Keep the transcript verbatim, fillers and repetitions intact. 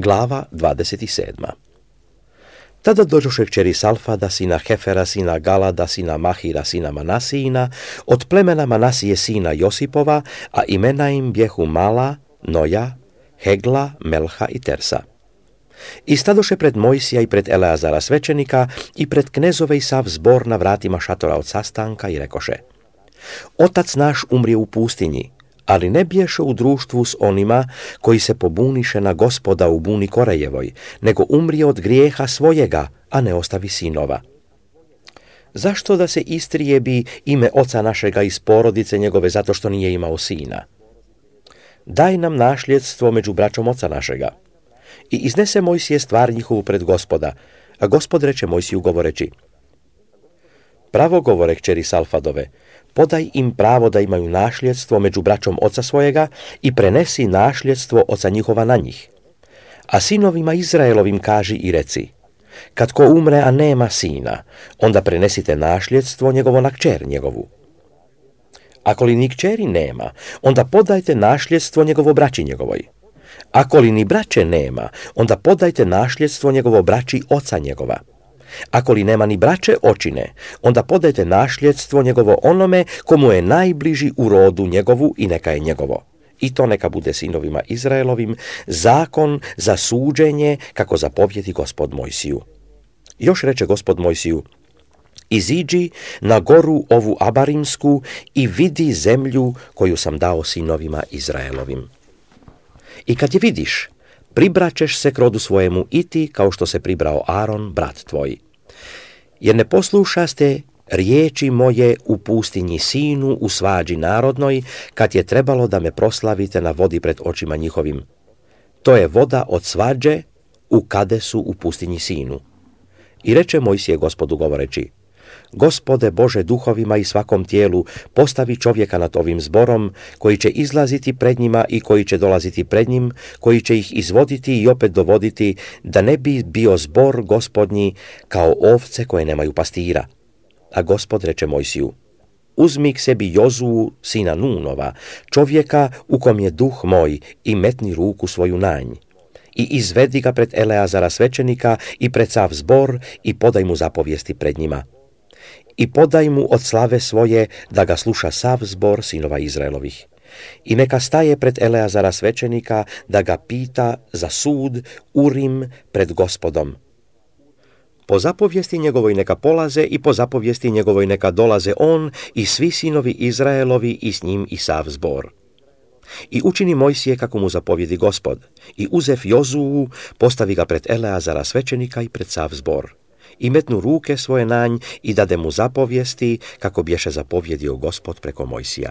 Glava dvadeset sedma. Tada dođoše kćeri Salfada, sina Hefera, sina Galada, sina Mahira, sina Manasijina, od plemena Manasije sina Josipova, a imena im bjehu Mala, Noja, Hegla, Melha i Tersa. I stadoše pred Mojsija i pred Eleazara svećenika i pred knezove i sav zbor na vratima šatora od sastanka i rekoše: Otac naš umrije u pustinji, ali ne bješe u društvu s onima koji se pobuniše na Gospoda u buni Korejevoj, nego umrije od grijeha svojega, a ne ostavi sinova. Zašto da se istrijebi ime oca našega iz porodice njegove zato što nije imao sina? Daj nam našljedstvo među braćom oca našega. I iznese Mojsije stvar njihovu pred Gospoda, a Gospod reče Mojsiju govoreći: Pravo govore kćeri Salfadove, podaj im pravo da imaju našljedstvo među braćom oca svojega i prenesi našljedstvo oca njihova na njih. A sinovima Izraelovim kaži i reci: Kad ko umre, a nema sina, onda prenesite našljedstvo njegovo na kćer njegovu. Ako li ni kćeri nema, onda podajte našljedstvo njegovo braći njegovoj. Ako li ni braće nema, onda podajte našljedstvo njegovo braći oca njegova. Ako li nema ni braće očine, onda podajte našljedstvo njegovo onome komu je najbliži u rodu njegovu i neka je njegovo. I to neka bude sinovima Izraelovim zakon za suđenje, kako zapovjedi Gospod Mojsiju. Još reče Gospod Mojsiju: Iziđi na goru ovu Abarimsku i vidi zemlju koju sam dao sinovima Izraelovim. I kad je vidiš, pribraćeš se k rodu svojemu i ti, kao što se pribrao Aron, brat tvoj. Jer ne poslušaste riječi moje u pustinji Sinu u svađi narodnoj, kad je trebalo da me proslavite na vodi pred očima njihovim. To je voda od svađe u Kadesu u pustinji Sinu. I reče Mojsije Gospodu govoreći: Gospode Bože duhovima i svakom tijelu, postavi čovjeka nad ovim zborom, koji će izlaziti pred njima i koji će dolaziti pred njim, koji će ih izvoditi i opet dovoditi, da ne bi bio zbor Gospodnji kao ovce koje nemaju pastira. A Gospod reče Mojsiju: Uzmi k sebi Jozuu, sina Nunova, čovjeka u kom je duh moj, i metni ruku svoju na nj. I izvedi ga pred Eleazara svećenika i pred sav zbor i podaj mu zapovijesti pred njima. I podaj mu od slave svoje da ga sluša sav zbor sinova Izraelovih. I neka staje pred Eleazara svećenika da ga pita za sud Urim pred Gospodom. Po zapovijesti njegovoj neka polaze i po zapovijesti njegovoj neka dolaze on i svi sinovi Izraelovi i s njim i sav zbor. I učini Mojsije kako mu zapovjedi Gospod, i uzev Jozuu, postavi ga pred Eleazara svećenika i pred sav zbor. I metnu ruke svoje na nj i dade mu zapovijesti kako bješe zapovjedio Gospod preko Mojsija.